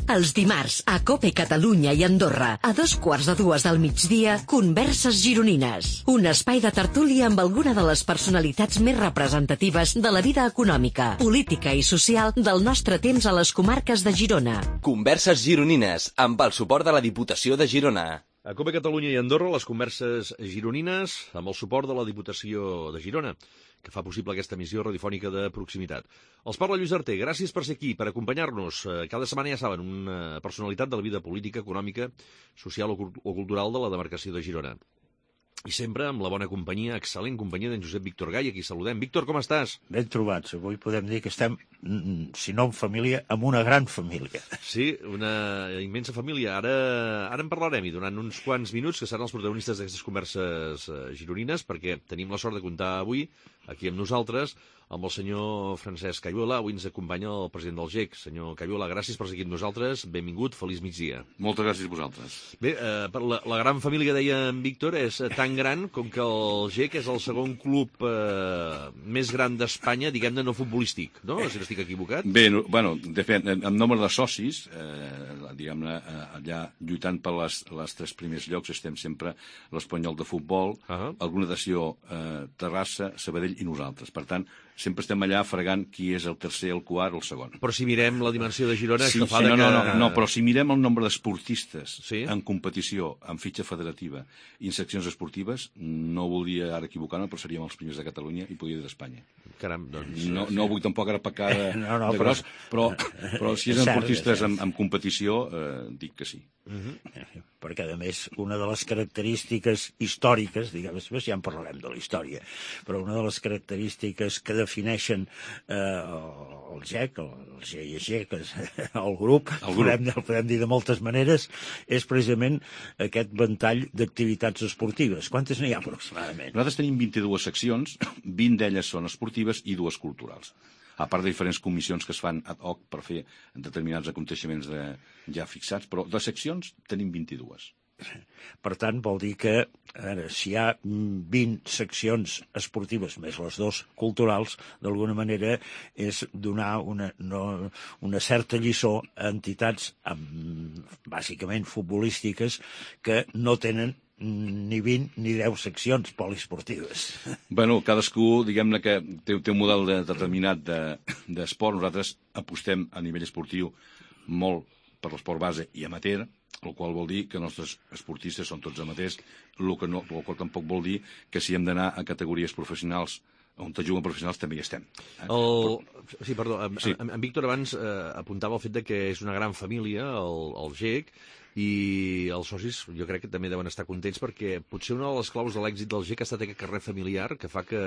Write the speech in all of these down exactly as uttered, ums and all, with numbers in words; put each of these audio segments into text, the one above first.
Els dimarts, a COPE Catalunya i Andorra, a dos quarts de dues del migdia, Converses Gironines. Un espai de tertúlia amb alguna de les personalitats més representatives de la vida econòmica, política i social del nostre temps a les comarques de Girona. Converses Gironines, amb el suport de la Diputació de Girona. A COPE Catalunya i Andorra, les Converses Gironines, amb el suport de la Diputació de Girona, que fa possible aquesta emissió radiofònica de proximitat. Els parla Lluís Arter, gràcies per ser aquí, per acompanyar-nos. Cada setmana, ja saben, una personalitat de la vida política, econòmica, social o cultural de la demarcació de Girona. I sempre amb la bona companyia, excel·lent companyia d'en Josep Víctor Gai, a qui saludem. Víctor, com estàs? Ben trobats. Avui podem dir que estem, si no en família, amb una gran família. Sí, una immensa família. Ara, ara en parlarem i durant uns quants minuts, que seran els protagonistes d'aquestes converses gironines, perquè tenim la sort de comptar avui, aquí amb nosaltres, amb el senyor Francesc Cayuela. Avui ens acompanya el president del G E C. Senyor Cayuela, gràcies per ser aquí amb nosaltres. Benvingut, feliç migdia. Moltes gràcies a vosaltres. Bé, eh, la, la gran família, deia en Víctor, és tan gran com que el G E C és el segon club eh, més gran d'Espanya, diguem-ne, no futbolístic, no? Si no estic equivocat. Bé, no, bueno, de fet, en nombre de socis, eh, diguem-ne, allà lluitant per les, les tres primers llocs estem sempre l'Espanyol de futbol, uh-huh. el Natació, eh, Terrassa, Sabadell i nosaltres. Per tant, sempre estem allà fregant qui és el tercer, el quart o el segon. Però si mirem la dimensió de Girona... Sí, és que fa sí, de no, no, que... no, no, però si mirem el nombre d'esportistes sí? en competició, en fitxa federativa i en seccions esportives, no voldria ara equivocar-me, però seríem els primers de Catalunya i podria dir d'Espanya. Caram, doncs... No, no vull tampoc ara pecar de, no, no, de gros, però, però si és esportistes en, en competició, eh, dic que sí. Uh-huh. Perquè, a més, una de les característiques històriques, diguem, després ja en parlarem de la història, però una de les característiques que defineixen eh, el G E C, el G I G, que és el grup, el grup. Podem, el podem dir de moltes maneres, és precisament aquest ventall d'activitats esportives. Quantes n'hi ha aproximadament? Nosaltres tenim vint-i-dues seccions, vint d'elles són esportives i dues culturals. A part de diferents comissions que es fan ad hoc per fer determinats aconteixements de, ja fixats, però de seccions tenim vint-i-dues. Per tant, vol dir que a veure, si hi ha vint seccions esportives més les dues culturals, d'alguna manera és donar una, no, una certa lliçó a entitats amb, bàsicament futbolístiques que no tenen ni vint ni deu seccions poliesportives. Bueno, cadascú, diguem-ne que té, té un model de, determinat d'esport. De, Nosaltres apostem a nivell esportiu molt per l'esport base i amateur, el qual vol dir que els nostres esportistes són tots amateurs, el, que no, el qual tampoc vol dir que si hem d'anar a categories professionals on te juguen professionals també hi estem. El... Sí, perdó, en, sí. en, en Víctor abans eh, apuntava el fet de que és una gran família, el, el G E C, i els socis jo crec que també deuen estar contents perquè potser una de les claus de l'èxit del G E C ha estat aquest carrer familiar que fa que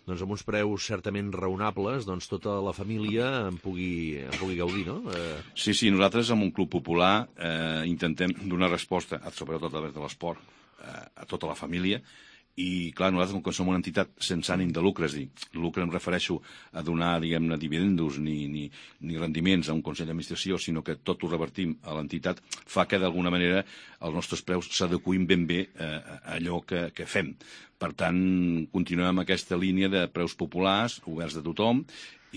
doncs, amb uns preus certament raonables doncs, tota la família en pugui, en pugui gaudir, no? Eh... Sí, sí, nosaltres amb un club popular eh, intentem donar resposta, sobretot a través de l'esport, eh, a tota la família. I, clar, nosaltres, com que som una entitat sense ànim de lucre, és a dir, lucre em refereixo a donar, diguem-ne, dividendos ni, ni, ni rendiments a un consell d'administració, sinó que tot ho revertim a l'entitat, fa que, d'alguna manera, els nostres preus s'adequin ben bé eh, a allò que, que fem. Per tant, continuem amb aquesta línia de preus populars, oberts de tothom,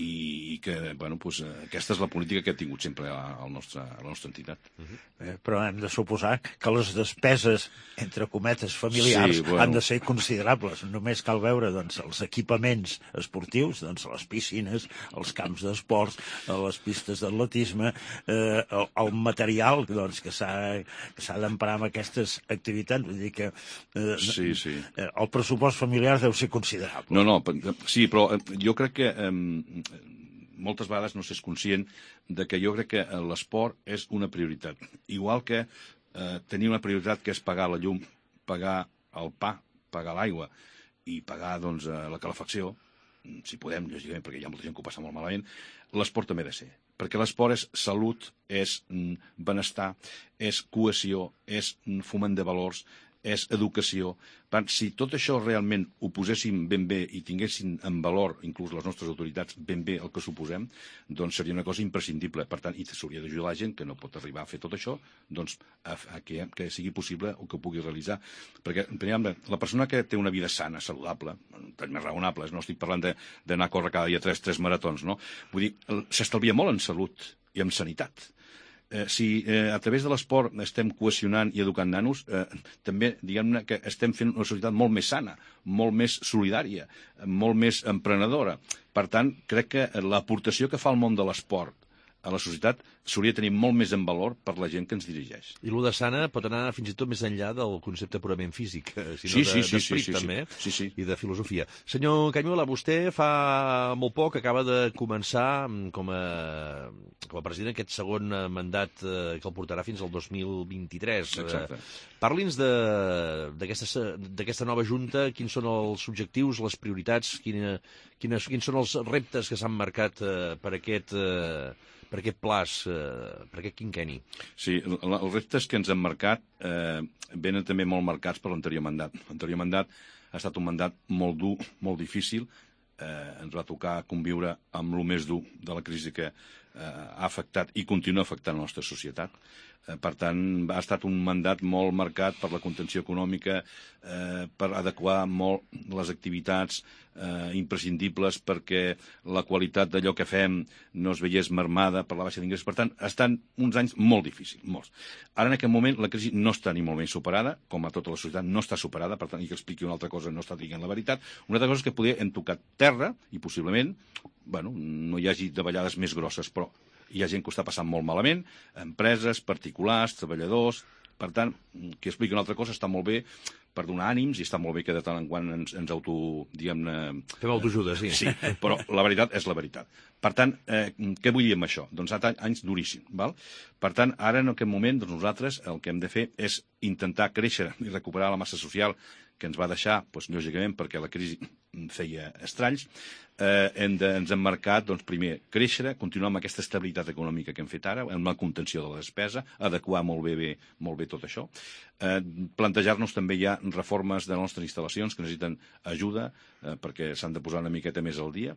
i que, bueno, doncs, aquesta és la política que ha tingut sempre a la nostra, a la nostra entitat. Uh-huh. eh, però hem de suposar que les despeses, entre cometes, familiars, sí, bueno. han de ser considerables. Només cal veure doncs, els equipaments esportius, doncs, les piscines, els camps d'esports, les pistes d'atletisme, eh, el, el material doncs, que s'ha d'emprar en aquestes activitats. Vull dir que eh, sí, sí. Eh, el pressupost familiar deu ser considerable. No, no, sí, però jo crec que eh, moltes vegades no s'és conscient de que jo crec que l'esport és una prioritat. Igual que eh, tenir una prioritat que és pagar la llum, pagar el pa, pagar l'aigua i pagar doncs, la calefacció, si podem, lògicament, perquè hi ha molta gent que ho passa molt malament, l'esport també ha de ser. Perquè l'esport és salut, és benestar, és cohesió, és foment de valors, és educació. Per tant, si tot això realment ho poséssim ben bé i tinguessin en valor, inclús les nostres autoritats, ben bé el que suposem, doncs seria una cosa imprescindible. Per tant, i s'hauria d'ajudar la gent que no pot arribar a fer tot això, doncs a, a que, que sigui possible o que ho pugui realitzar. Perquè, per exemple, la persona que té una vida sana, saludable, més raonable, no estic parlant d'anar a córrer cada dia tres, tres maratons, no? Vull dir, s'estalvia molt en salut i en sanitat. Eh, si eh, a través de l'esport estem cohesionant i educant nanos, eh, també, diguem-ne, que estem fent una societat molt més sana, molt més solidària, molt més emprenedora. Per tant, crec que l'aportació que fa el món de l'esport a la societat s'hauria de tenir molt més en valor per la gent que ens dirigeix. I l'U de sana pot anar fins i tot més enllà del concepte purament físic, sinó sí, sí, de, sí, d'esperit sí, sí, també, sí, sí. i de filosofia. Senyor Cañuela, vostè fa molt poc acaba de començar com a, com a president aquest segon mandat que el portarà fins al dos mil vint-i-tres. Exacte. Parli'ns d'aquesta nova junta, quins són els objectius, les prioritats, quina, quines, quins són els reptes que s'han marcat eh, per aquest... Eh, per aquest plaç, eh, per aquest quinquenni? Sí, els reptes que ens han marcat eh, venen també molt marcats per l'anterior mandat. L'anterior mandat ha estat un mandat molt dur, molt difícil. Eh, ens va tocar conviure amb el més dur de la crisi que eh, ha afectat i continua afectant la nostra societat. Eh, per tant, ha estat un mandat molt marcat per la contenció econòmica, eh, per adequar molt les activitats eh, imprescindibles perquè la qualitat d'allò que fem no es veiés mermada per la baixa d'ingressos. Per tant, estan uns anys molt difícils, molts. Ara, en aquest moment, la crisi no està ni molt menys superada, com a tota la societat no està superada, per tant, i que expliqui una altra cosa no està dient la veritat. Una altra cosa és que poder hem tocat terra i possiblement, bueno, no hi hagi davallades més grosses, però hi ha gent que ho està passant molt malament, empreses, particulars, treballadors. Per tant, que expliqui una altra cosa està molt bé per donar ànims i està molt bé que de tant en quant ens, ens auto, diguem-ne... Fem autoajuda, sí. Sí, però la veritat és la veritat. Per tant, eh, què vull dir amb això? Doncs ha estat anys duríssims, val? Per tant, ara en aquest moment doncs nosaltres el que hem de fer és intentar créixer i recuperar la massa social que ens va deixar, doncs, lògicament, perquè la crisi feia estralls. Eh, hem de, ens hem marcat, doncs, primer, créixer, continuar amb aquesta estabilitat econòmica que hem fet ara, amb la contenció de la despesa, adequar molt bé, bé, molt bé tot això. Eh, plantejar-nos també ja reformes de les nostres instal·lacions que necessiten ajuda, eh, perquè s'han de posar una miqueta més al dia,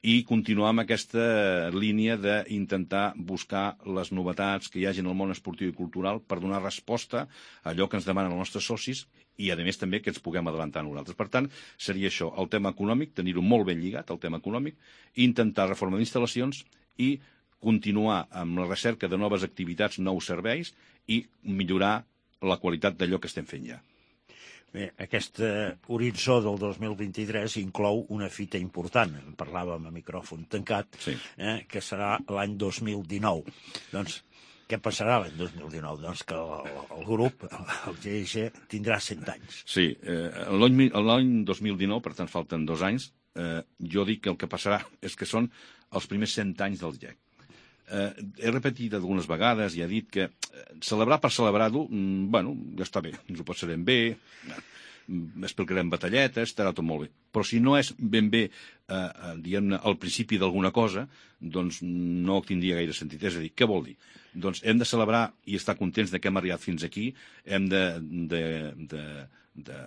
i continuar amb aquesta línia d'intentar buscar les novetats que hi hagi en el món esportiu i cultural per donar resposta a allò que ens demanen els nostres socis i, a més, també que ens puguem adelantar nosaltres. Per tant, seria això, el tema econòmic, tenir-ho molt ben lligat, el tema econòmic, intentar reforma d'instal·lacions i continuar amb la recerca de noves activitats, nous serveis i millorar la qualitat d'allò que estem fent ja. Bé, aquest eh, horitzó del dos mil vint-i-tres inclou una fita important, en parlàvem a micròfon tancat, sí. eh, que serà l'any dos mil dinou. Doncs, què passarà l'any dos mil dinou? Doncs que el, el grup, el G I G, tindrà cent anys. Sí, eh, l'any dos mil dinou, per tant falten dos anys, eh, jo dic que el que passarà és que són els primers cent anys del G E C. Eh, he repetit algunes vegades i he dit que eh, celebrar per celebrar-ho, mm, bueno, ja està bé, ens ho passarem bé, eh, explicarem batalletes, estarà tot molt bé. Però si no és ben bé, eh, diguem-ne, al principi d'alguna cosa, doncs no tindria gaire sentit. És a dir, què vol dir? Doncs hem de celebrar i estar contents de que hem arribat fins aquí, hem de, de, de, de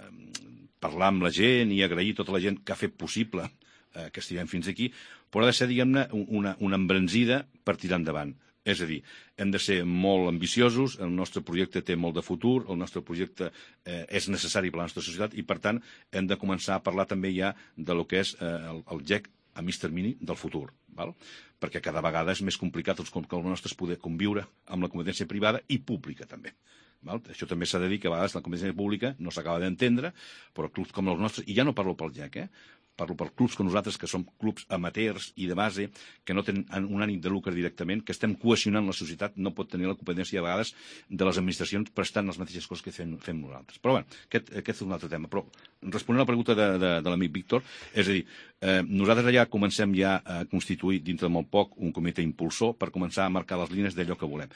parlar amb la gent i agrair tota la gent que ha fet possible eh, que estiguem fins aquí, però ha de ser, diguem-ne, una, una embranzida per tirar endavant. És a dir, hem de ser molt ambiciosos, el nostre projecte té molt de futur, el nostre projecte eh, és necessari per a la nostra societat i, per tant, hem de començar a parlar també ja de lo que és eh, el, el G E C a mig termini del futur, val? Perquè cada vegada és més complicat els, que els nostres poder conviure amb la competència privada i pública també. Val? Això també s'ha de dir que a vegades la competència pública no s'acaba d'entendre, però clubs com els nostres, i ja no parlo pel G E C, eh? Parlo per clubs com nosaltres, que som clubs amateurs i de base, que no tenen un ànim de lucre directament, que estem cohesionant la societat, no pot tenir la competència a vegades de les administracions prestant les mateixes coses que fem, fem nosaltres. Però bé, aquest, aquest és un altre tema. Però responent a la pregunta de, de, de l'amic Víctor, és a dir, eh, nosaltres ja comencem ja a constituir dintre de molt poc un comitè impulsor per començar a marcar les línies d'allò que volem.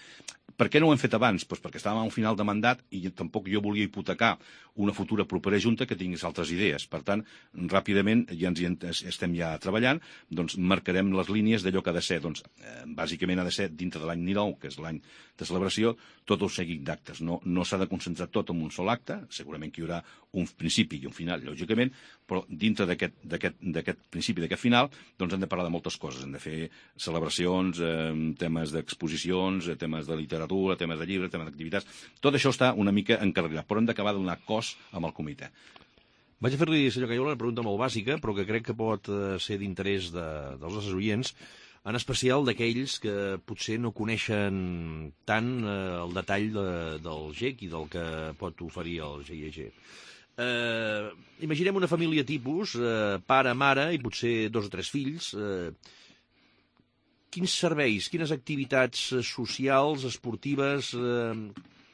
Per què no ho hem fet abans? Pues perquè estàvem a un final de mandat i tampoc jo volia hipotecar una futura propera junta que tingués altres idees. Per tant, ràpidament, ja ens hi estem ja treballant, doncs marcarem les línies d'allò que ha de ser. Doncs, eh, bàsicament ha de ser dintre de l'any dinou, que és l'any de celebració, tot el seguit d'actes. No, no s'ha de concentrar tot en un sol acte, segurament que hi haurà un principi i un final, lògicament, però dintre d'aquest principi i d'aquest final, doncs hem de parlar de moltes coses. Hem de fer celebracions, eh, temes d'exposicions, eh, temes de literatura, temes de llibres, temes d'activitats. Tot això està una mica encarregat, però hem d'acabar de donar cos amb el comitè. Vaig a fer-li, senyor Cañuela, una pregunta molt bàsica, però que crec que pot ser d'interès de, dels nostres oients. en especial d'aquells que potser no coneixen tant eh, el detall de, del G E C i del que pot oferir el G I E G. Eh, imaginem una família tipus, eh, pare, mare i potser dos o tres fills. Eh, quins serveis, quines activitats socials, esportives, eh,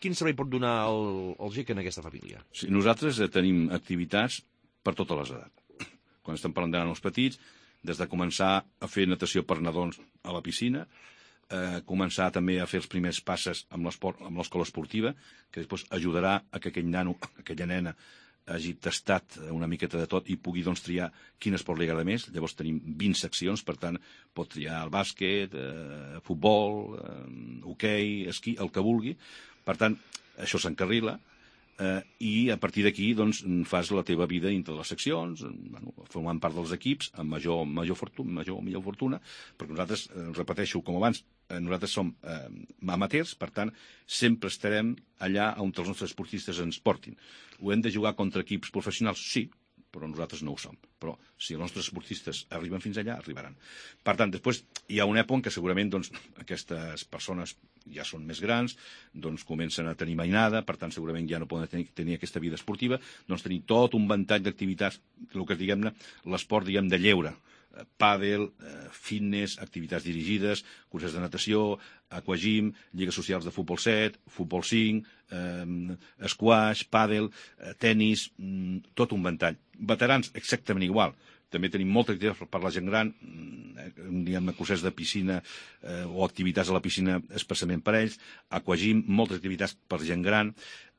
quin servei pot donar el, el G E C en aquesta família? Sí, nosaltres eh, tenim activitats per totes les edats. Quan estem parlant de nanos petits, des de començar a fer natació per nadons a la piscina, eh, començar també a fer els primers passes amb l'escola esportiva, que després ajudarà a que aquell nano, aquella nena, hagi tastat una miqueta de tot i pugui doncs, triar quin esport li agrada més. Llavors tenim vint seccions, per tant, pot triar el bàsquet, eh, futbol, eh, hoquei, esquí, el que vulgui. Per tant, això s'encarrila eh, i a partir d'aquí doncs, fas la teva vida dintre les seccions, bueno, formant part dels equips, amb major, major, fortuna, major millor fortuna, perquè nosaltres, eh, repeteixo com abans, eh, nosaltres som eh, amateurs, per tant, sempre estarem allà on els nostres esportistes ens portin. Ho hem de jugar contra equips professionals? Sí, però nosaltres no ho som. Però si els nostres esportistes arriben fins allà, arribaran. Per tant, després hi ha una època en què segurament doncs, aquestes persones ja són més grans, doncs comencen a tenir mainada, per tant segurament ja no poden tenir, tenir aquesta vida esportiva, doncs tenim tot un ventall d'activitats, el que diguem-ne, l'esport diguem de lleure, pàdel, fitness, activitats dirigides, curses de natació, aquagym, lligues socials de futbol set, futbol cinc, eh, squash, pàdel, eh, tenis, mm, tot un ventall. Veterans, exactament igual. També tenim moltes activitats per la gent gran, eh, diguem, curses de piscina eh, o activitats a la piscina especialment per ells, aquagym, moltes activitats per gent gran.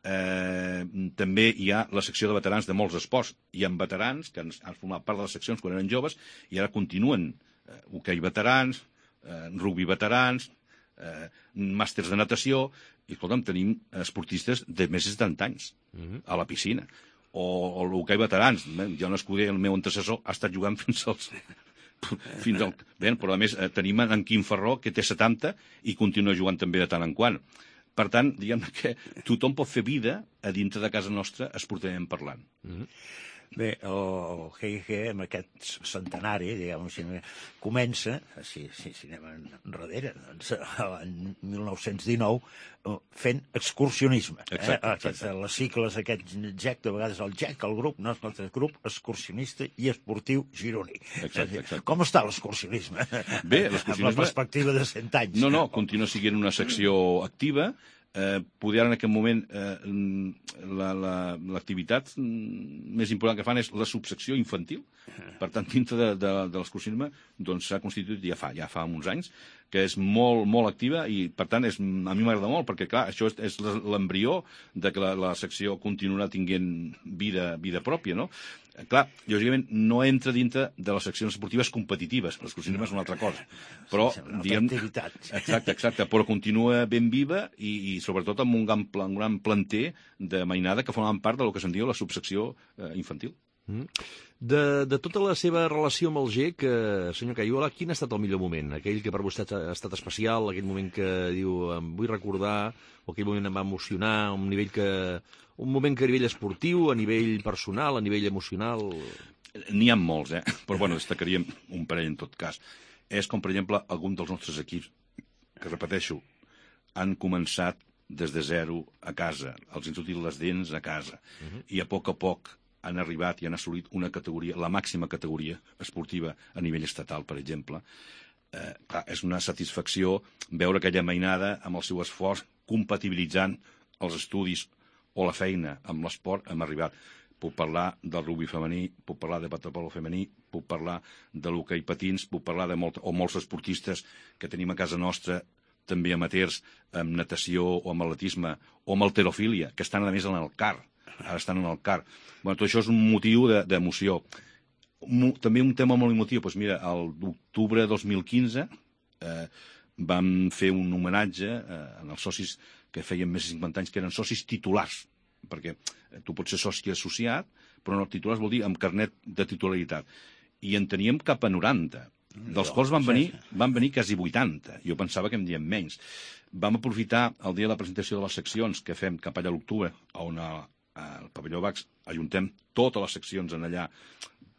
Eh, també hi ha la secció de veterans de molts esports. Hi ha veterans que han, han format part de les seccions quan eren joves i ara continuen eh, hoquei veterans, eh, rugby veterans, eh, màsters de natació, i escolta'm, tenim esportistes de més de setanta anys uh-huh. a la piscina. O, o l'hoquei veterans. Jo no escuder, el meu antecessor ha estat jugant fins als... fins al... Bé, però a més eh, tenim en Quim Ferró, que té setanta, i continua jugant també de tant en quant. Per tant, diguem que tothom pot fer vida a dintre de casa nostra esportivament parlant. Mm-hmm. Bé, el G I G, amb aquest centenari, diguem, si comença, si, si, si anem enrere, doncs, l'any mil nou-cents dinou, fent excursionisme. Exacte, eh? exacte. Les sigles, aquest G E C, de vegades el G E C, el grup, no, el grup excursionista i esportiu gironí. Exacte, exacte. Com està l'excursionisme? Bé, l'excursionisme... Amb la perspectiva de cent anys. No, no, continua sent una secció activa. Eh, poder en aquest moment eh, l'activitat la, la, més important que fan és la subsecció infantil. Per tant, dintre de, de, de l'excursionisme doncs, s'ha constituït ja fa, ja fa uns anys, que és molt, molt activa i, per tant, és, a mi m'agrada molt, perquè, clar, això és, és l'embrió de que la, la secció continuarà tinguent vida, vida pròpia, no? Clar, lògicament, no entra dintre de les seccions esportives competitives, l'excursionisme és una altra cosa. Però, diguem... Exacte, exacte, però continua ben viva i, i sobretot amb un gran, un gran planter de mainada que formen part del que se'n diu la subsecció eh, infantil. Mm. De, de tota la seva relació amb el G E C, eh, senyor Cayola, quin ha estat el millor moment? Aquell que per vostè ha estat especial, aquell moment que diu em vull recordar, o aquell moment em va emocionar, un nivell que... un moment que a nivell esportiu, a nivell personal, a nivell emocional... N'hi ha molts, eh? Però, bueno, destacaríem un parell en tot cas. És com, per exemple, algun dels nostres equips, que repeteixo, han començat des de zero a casa, els han sortit les dents a casa, uh-huh. i a poc a poc han arribat i han assolit una categoria, la màxima categoria esportiva a nivell estatal, per exemple. Eh, clar, és una satisfacció veure aquella mainada amb el seu esforç compatibilitzant els estudis o la feina amb l'esport hem arribat. Puc parlar del rugby femení, puc parlar de waterpolo femení, puc parlar de l'hoquei patins, puc parlar de molt, o molts esportistes que tenim a casa nostra, també amateurs, amb natació o amb atletisme, o amb halterofília, que estan a més en el car. Ara estan en el car. Bueno, tot això és un motiu d'emoció. De, també un tema molt emotiu, doncs mira, el d'octubre de dos mil quinze eh, vam fer un homenatge eh, als socis que feien més de cinquanta anys, que eren socis titulars, perquè tu pots ser soci associat, però no titulars vol dir amb carnet de titularitat. I en teníem cap a noranta, dels quals van venir, van venir quasi vuitanta. Jo pensava que en diem menys. Vam aprofitar el dia de la presentació de les seccions que fem cap allà a l'octubre, on al pavelló Bax ajuntem totes les seccions en allà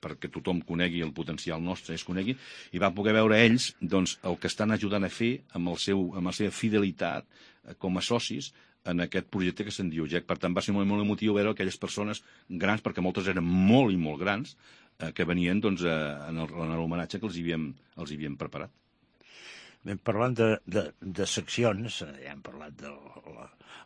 perquè tothom conegui el potencial nostre, es conegui, i va poder veure ells doncs, el que estan ajudant a fer amb, el seu, amb la seva fidelitat eh, com a socis en aquest projecte que se'n diu G E C. Per tant, va ser molt, molt emotiu veure aquelles persones grans, perquè moltes eren molt i molt grans, eh, que venien doncs, eh, en l'homenatge que els havíem, els havíem preparat. Ben, parlant de, de, de seccions, ja hem parlat de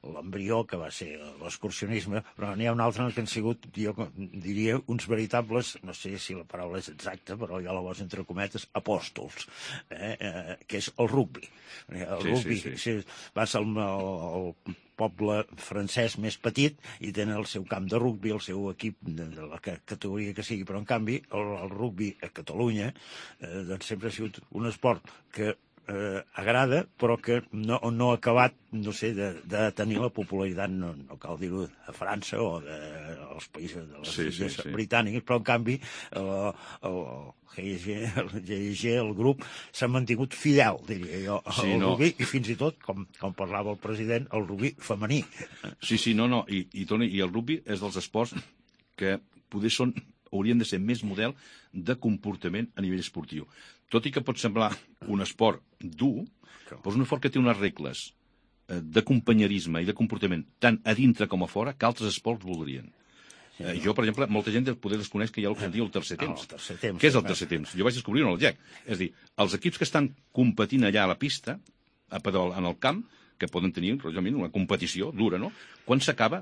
l'embrió, que va ser l'excursionisme, però n'hi ha un altre en el que han sigut, jo diria, uns veritables, no sé si la paraula és exacta, però jo la poso entre cometes, apòstols, eh? Eh, que és el rugbi. El sí, rugbi sí, sí. va ser el, el, el poble francès més petit i tenen el seu camp de rugbi, el seu equip de, de la categoria que sigui, però en canvi el, el rugbi a Catalunya eh, doncs sempre ha sigut un esport que Eh, agrada, però que no, no ha acabat, no sé, de, de tenir la popularitat, no, no cal dir-ho, a França o de, als països de les sí, sí, sí. britàniques, però en canvi el, el, el G I G, el grup, s'ha mantingut fidel, diria jo, al sí, no. rugby, i fins i tot, com, com parlava el president, el rugby femení. Sí, sí, no, no, i, i, Toni, i el rugby és dels esports que poder són, haurien de ser més model de comportament a nivell esportiu. Tot i que pot semblar un esport dur, però és un esport que té unes regles de companyerisme i de comportament tant a dintre com a fora que altres esports voldrien. Sí, no? Jo, per exemple, molta gent poder desconeix que hi ha el que es diu el tercer temps. Ah, el tercer temps. Què és el tercer temps? Jo vaig descobrir-ho en el G E C. És a dir, els equips que estan competint allà a la pista, a pedal, en el camp, que poden tenir realment una competició dura, no? Quan s'acaba,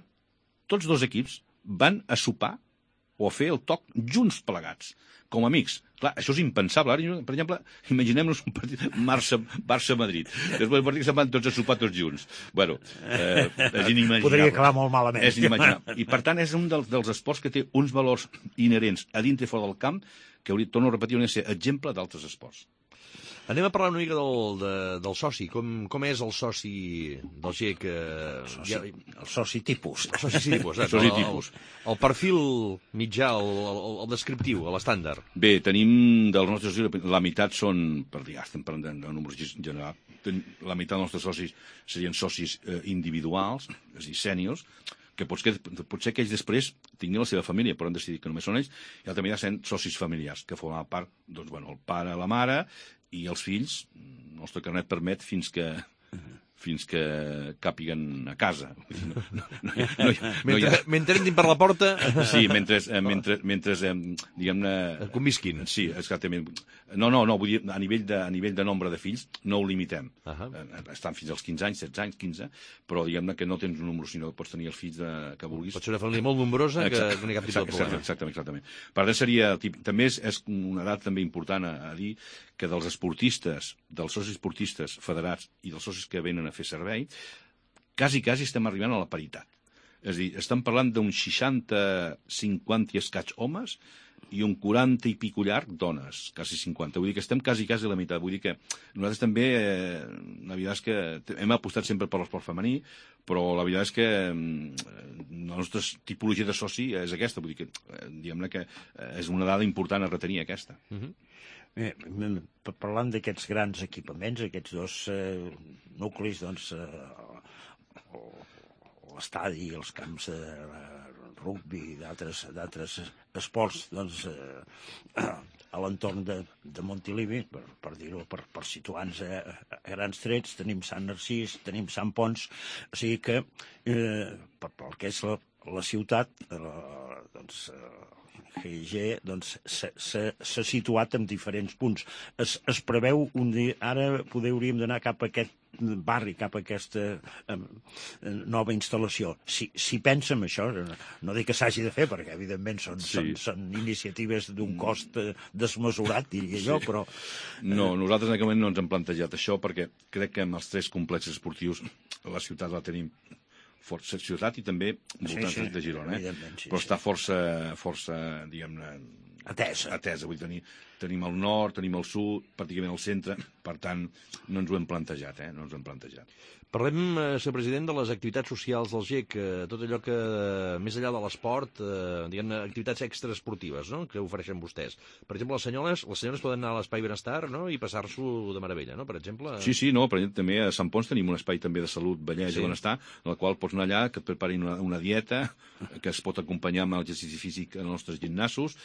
tots dos equips van a sopar o a fer el toc junts plegats, com amics. Clar, això és impensable. Ara, per exemple, imaginem-nos un partit Barça-Madrid. Després del partit que se'n van tots a sopar tots junts. Bueno, eh, és inimaginable. Podria acabar molt malament. És inimaginable. I, per tant, és un dels, dels esports que té uns valors inherents a dintre i fora del camp que, hauria, torno a repetir, hauria de ser exemple d'altres esports. Anem a parlar una mica del, de, del soci. Com, com és el soci del G E C? El soci, el soci tipus. El soci tipus, eh? soci tipus. El, el perfil mitjà, el, el, el descriptiu, l'estàndard. Bé, tenim dels nostres socis, la meitat són, per dir, estem parlant de, de números generals, la meitat dels nostres socis serien socis eh, individuals, és a dir, sèniors, que potser, potser que ells després tinguin la seva família, però han decidit que només són ells, i també hi ha socis familiars, que formen part, doncs, bueno, el pare, la mare, i els fills, el nostre carnet permet fins que fins que càpiguen a casa. No, no, no, no, no mentre, ha... mentre entrin per la porta... Sí, mentre, mentre, mentre diguem-ne... Convisquin. Sí, exactament. No, no, no, vull dir, a nivell de, a nivell de nombre de fills no ho limitem. Uh -huh. Estan fins als quinze anys, setze anys, quinze, però diguem-ne que no tens un número, sinó que pots tenir els fills de, que vulguis. Pot ser una família molt nombrosa que, que no hi ha cap tipus de problema. Exactament, exactament. Per tant, seria... També és, és una edat també important a, a dir que dels esportistes, dels socis esportistes federats i dels socis que venen a fer servei, quasi, quasi estem arribant a la paritat. És a dir, estem parlant d'un seixanta, cinquanta i escaig homes i un quaranta i pico llarg dones, quasi cinquanta. Vull dir que estem quasi, quasi a la meitat. Vull dir que nosaltres també, eh, la veritat és que hem apostat sempre per l'esport femení, però la veritat és que eh, la nostra tipologia de soci és aquesta. Vull dir que, eh, diguem-ne que és una dada important a retenir, aquesta. Uh-huh. Bé, parlant d'aquests grans equipaments, aquests dos eh, nuclis, doncs, eh, l'estadi, els camps de rugbi i d'altres esports, doncs, eh, a l'entorn de, de Montilivi, per, per dir-ho, per, per situar-nos a, a grans trets, tenim Sant Narcís, tenim Sant Pons, o sigui que, eh, per, pel que és la, la ciutat, eh, doncs, eh, G I G doncs, s'ha situat en diferents punts. Es, es preveu un dia, ara poder hauríem d'anar cap a aquest barri, cap a aquesta eh, nova instal·lació. Si, si pensa en això, no dic que s'hagi de fer, perquè evidentment són, sí. són, són iniciatives d'un cost eh, desmesurat, diria jo, sí. però... Eh... No, nosaltres en aquest moment no ens hem plantejat això, perquè crec que amb els tres complexes esportius la ciutat la tenim força ciutat i també voltants sí, sí, de Girona, eh? Sí, però està força, força diguem-ne, atesa. atesa. Vull dir, tenim el nord, tenim el sud, pràcticament el centre, per tant, no ens ho hem plantejat, eh? No ens ho hem plantejat. Parlem, eh, senyor president, de les activitats socials del G E C, eh, tot allò que, eh, més enllà de l'esport, eh, diguem-ne, activitats extraesportives, no?, que ofereixen vostès. Per exemple, les senyores, les senyores poden anar a l'Espai Benestar, no?, i passar-s'ho de meravella, no?, per exemple. Sí, sí, no, per exemple, també a Sant Pons tenim un espai també de salut, bellesa sí. i benestar, en el qual pots anar allà, que et preparin una, una dieta, que es pot acompanyar amb l'exercici físic en els nostres gimnasos,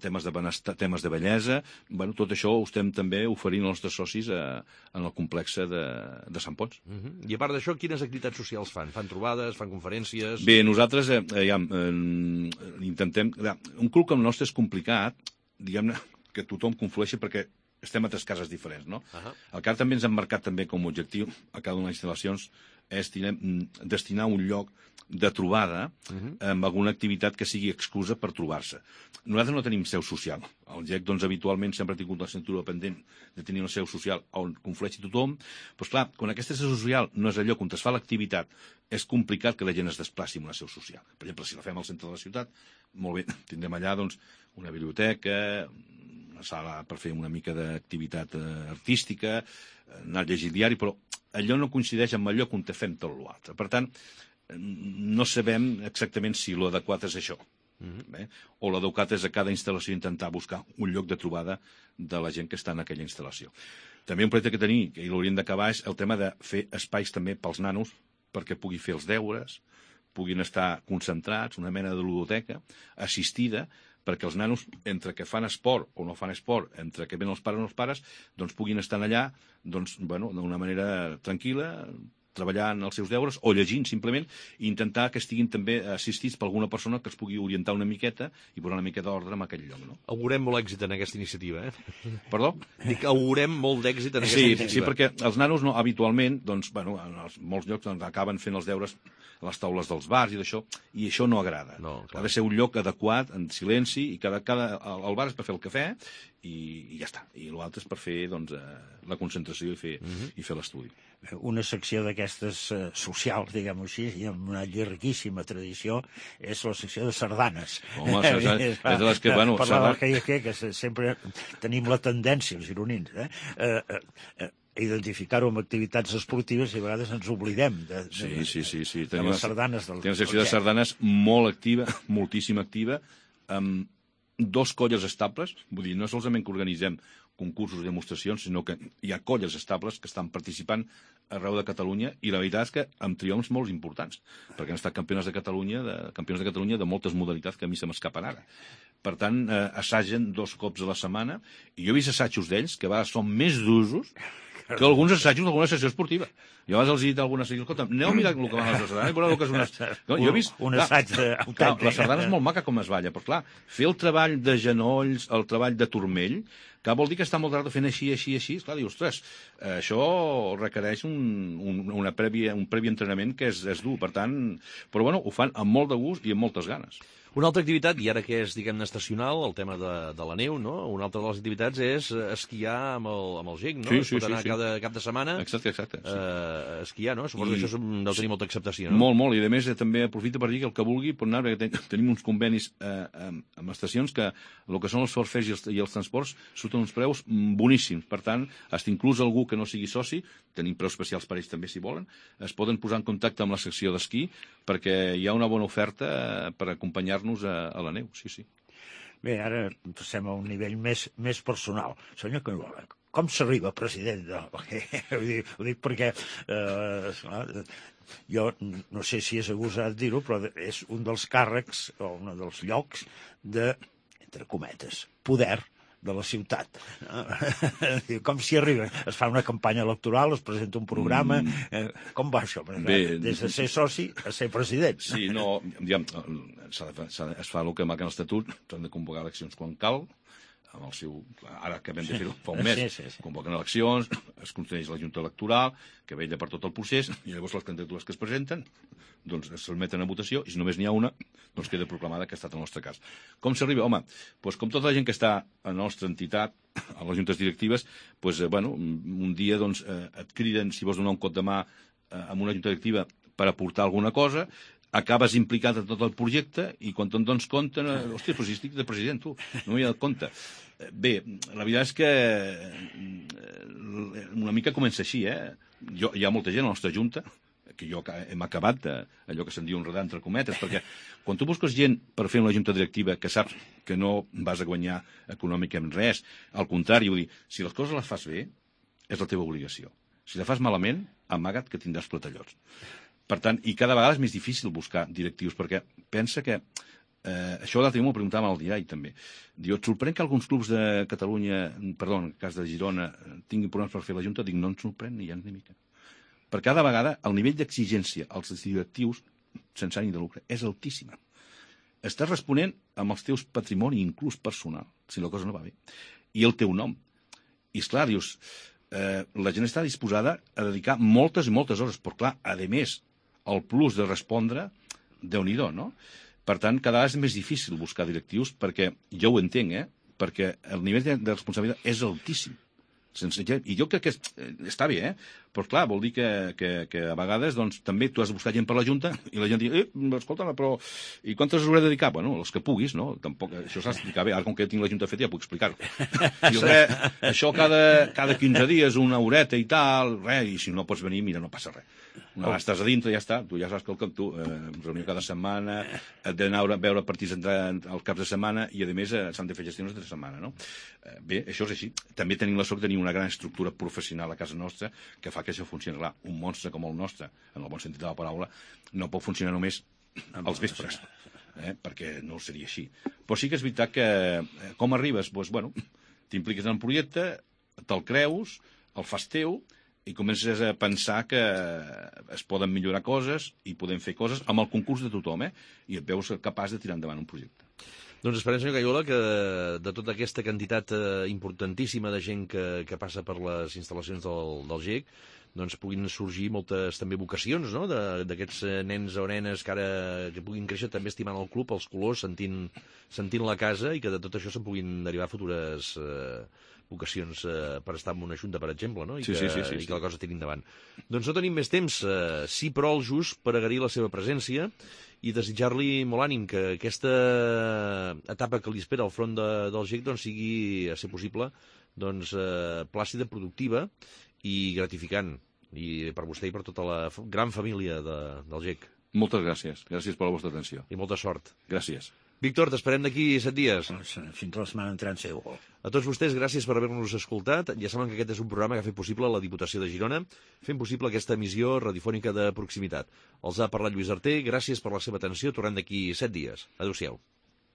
temes de benestar, temes de bellesa, bueno, tot això ho estem també oferint als nostres socis a, en el complex de, de Sant Pons. Uh -huh. I a part d'això, quines activitats socials fan? Fan trobades, fan conferències? Bé, nosaltres eh, ja, eh, intentem... Un club com el nostre és complicat, diguem-ne, que tothom conflueixi perquè estem a tres cases diferents, no? Uh -huh. El que també ens hem marcat també com a objectiu a cada una de les instal·lacions és dinem, destinar un lloc de trobada uh -huh. amb alguna activitat que sigui excusa per trobar-se. Nosaltres no tenim seu social. El G E C, doncs, habitualment sempre ha tingut la cintura pendent de tenir una seu social on conflueixi tothom. Però, clar, quan aquesta seu social no és allò on es fa l'activitat, és complicat que la gent es desplaci en una seu social. Per exemple, si la fem al centre de la ciutat, molt bé, tindrem allà, doncs, una biblioteca, una sala per fer una mica d'activitat eh, artística, anar a llegir el diari, però allò no coincideix amb allò on fem tot l'altre. Per tant, no sabem exactament si l'adequat és això. Mm-hmm. Bé? O l'adequat és a cada instal·lació intentar buscar un lloc de trobada de la gent que està en aquella instal·lació. També un projecte que tenim, que l'hauríem d'acabar, és el tema de fer espais també pels nanos perquè pugui fer els deures, puguin estar concentrats, una mena de ludoteca assistida, perquè els nanos, entre que fan esport o no fan esport, entre que venen els pares o no els pares, doncs puguin estar allà doncs, bueno, d'una manera tranquil·la, treballant els seus deures o llegint, simplement, i intentar que estiguin també assistits per alguna persona que es pugui orientar una miqueta i posar una miqueta d'ordre en aquell lloc. No? Augurem molt èxit en aquesta iniciativa, eh? Perdó? Dic que augurem molt d'èxit en aquesta sí, iniciativa. Sí, perquè els nanos no, habitualment, doncs, bueno, en els, molts llocs doncs, acaben fent els deures a les taules dels bars i d'això, i això no agrada. No, ha de ser un lloc adequat, en silenci, i cada, cada, el bar és per fer el cafè i, i ja està. I l'altre és per fer doncs, la concentració i fer, uh -huh. i fer l'estudi. Una secció d'aquestes uh, socials, diguem-ho així, i amb una llarguíssima tradició, és la secció de sardanes. Home, sardanes, és de les que, bueno... Parlava que, que, que sempre tenim la tendència, els gironins, eh? Uh, uh, uh, identificar-ho amb activitats esportives i a vegades ens oblidem de, de, sí, sí, sí, sí. de les sardanes. Del, tenim una secció de sardanes molt activa, moltíssim activa, amb dos colles estables, vull dir, no solament que organitzem concursos i demostracions, sinó que hi ha colles estables que estan participant arreu de Catalunya i la veritat és que amb triomfs molt importants, perquè han estat campiones de Catalunya de, campions de Catalunya de moltes modalitats que a mi se m'escapen ara. Per tant, eh, assagen dos cops a la setmana i jo he vist assajos d'ells que a vegades són més d'usos que alguns assajos d'alguna sessió esportiva. Jo abans els he dit a alguna sessió, escolta, aneu a mirar el que van a les sardanes i veureu el que és una... No, jo he vist... Un assaig autèntic. La sardana és molt maca com es balla, però clar, fer el treball de genolls, el treball de turmell, que vol dir que està molt rato fent així, així, així, clar, dius, ostres, això requereix un, un, una prèvia, un previ entrenament que és, és dur, per tant... Però bueno, ho fan amb molt de gust i amb moltes ganes. Una altra activitat, i ara que és, diguem-ne, estacional, el tema de, de la neu, no? Una altra de les activitats és esquiar amb el, amb el G E C, no? Sí, sí, es pot anar sí, sí. cada cap de setmana exacte, exacte, sí. uh, esquiar, no? Suposo I... que això deu tenir molta acceptació, no? Molt, molt, i a més eh, també aprofito per dir que el que vulgui pot anar, perquè ten, tenim uns convenis eh, amb, amb estacions que el que són els forfers i els, i els transports surten uns preus boníssims. Per tant, fins inclús algú que no sigui soci, tenim preus especials per ells també si volen, es poden posar en contacte amb la secció d'esquí perquè hi ha una bona oferta per acompanyar-nos a, a la neu, sí, sí. Bé, ara passem a un nivell més, més personal. Senyor Cañuelas, com s'arriba, president? No, ho, dic, ho dic perquè eh, jo no sé si és agosat dir-ho, però és un dels càrrecs o un dels llocs de, entre cometes, poder de la ciutat. Com s'hi arriba? Es fa una campanya electoral, es presenta un programa... Mm. Com va això? Bé, des de ser soci a ser president. Sí, no, diguem, s'ha de, s'ha de, es fa el que marca l'Estatut, s'han de convocar eleccions quan cal, amb el seu... Ara acabem de fer-ho fa un mes, sí, sí, sí. Convoquen eleccions, es constitueix la Junta Electoral, que vetlla per tot el procés, i llavors les candidatures que es presenten doncs es sotmeten a votació, i si només n'hi ha una, doncs queda proclamada que ha estat el nostre cas. Com s'arriba? Home, doncs com tota la gent que està a la nostra entitat, a les juntes directives, doncs, eh, bueno, un dia doncs, eh, et criden si vols donar un cop de mà eh, amb una junta directiva per aportar alguna cosa, acabes implicat en tot el projecte i quan te'n dones compte, eh, hòstia, però si estic de president, tu, no m'hi he dat compte. Bé, la veritat és que una mica comença així, eh? Jo, hi ha molta gent a la nostra junta, que jo hem acabat de, allò que se'n diu enredar entre cometes, perquè quan tu busques gent per fer una junta directiva que saps que no vas a guanyar econòmicament res, al contrari, vull dir, si les coses les fas bé, és la teva obligació. Si la fas malament, amaga't que tindràs platallots. Per tant, i cada vegada és més difícil buscar directius, perquè pensa que Eh, això l'altre dia m'ho preguntava al diari, també. Diu, et sorprèn que alguns clubs de Catalunya, perdó, en el cas de Girona, tinguin problemes per fer la Junta? Dic, no ens sorprèn ni gens ni mica. Per cada vegada el nivell d'exigència als directius, sense ànim de lucre, és altíssima. Estàs responent amb els teus patrimoni, inclús personal, si la cosa no va bé, i el teu nom. I esclar, dius, eh, la gent està disposada a dedicar moltes i moltes hores, però clar, a més, el plus de respondre, Déu-n'hi-do, no? Per tant, cada vegada és més difícil buscar directius, perquè jo ho entenc, eh? Perquè el nivell de, de responsabilitat és altíssim. Sense, I jo crec que és, està bé, eh? Però clar, vol dir que, que, que a vegades doncs, també tu has de buscar gent per la Junta i la gent diu, eh, escolta, però i quantes hores hauré de dedicar? Bueno, els que puguis, no? Tampoc, això s'ha d'explicar bé. Ara, com que tinc la Junta feta, ja puc explicar-ho. Diu, res, això cada, cada quinze dies, una horeta i tal, res, i si no pots venir, mira, no passa res. Una vegada estàs a dintre, ja està, tu ja saps que el tu, eh, reunió cada setmana, et d'anar a veure partits al caps de setmana i, a més, eh, s'han de fer gestions de setmana, no? Eh, bé, això és així. També tenim la sort de tenir una gran estructura professional a casa nostra que fa que això funcioni. Clar, un monstre com el nostre, en el bon sentit de la paraula, no pot funcionar només als vespres, eh, perquè no seria així. Però sí que és veritat que, eh, com arribes? Doncs, bueno, t'impliques en el projecte, te'l creus, el fas teu, i comences a pensar que es poden millorar coses i podem fer coses amb el concurs de tothom, eh? I et veus capaç de tirar endavant un projecte. Doncs esperem, senyor Cayola, que de tota aquesta quantitat eh, importantíssima de gent que, que passa per les instal·lacions del, del G E C, doncs puguin sorgir moltes també vocacions, no?, d'aquests nens o nenes que ara que puguin créixer també estimant el club, els colors, sentint, sentint la casa, i que de tot això se'n puguin derivar futures eh, vocacions eh, per estar en una junta, per exemple, no? I, sí, que, sí, sí, sí, i que la cosa tiri endavant. Doncs no tenim més temps, eh, sí, però el just per agrair la seva presència i desitjar-li molt ànim que aquesta etapa que li espera al front de, del G E C doncs, sigui, a ser possible, doncs, eh, plàcida, productiva i gratificant, i per vostè i per tota la gran família de, del G E C. Moltes gràcies. Gràcies per la vostra atenció. I molta sort. Gràcies. Víctor, t'esperem d'aquí set dies. Fins la setmana entrant, segur. A tots vostès, gràcies per haver-nos escoltat. Ja saben que aquest és un programa que ha fet possible la Diputació de Girona, fent possible aquesta emissió radiofònica de proximitat. Els ha parlat Lluís Arter, gràcies per la seva atenció, tornem d'aquí set dies. Adéu-siau.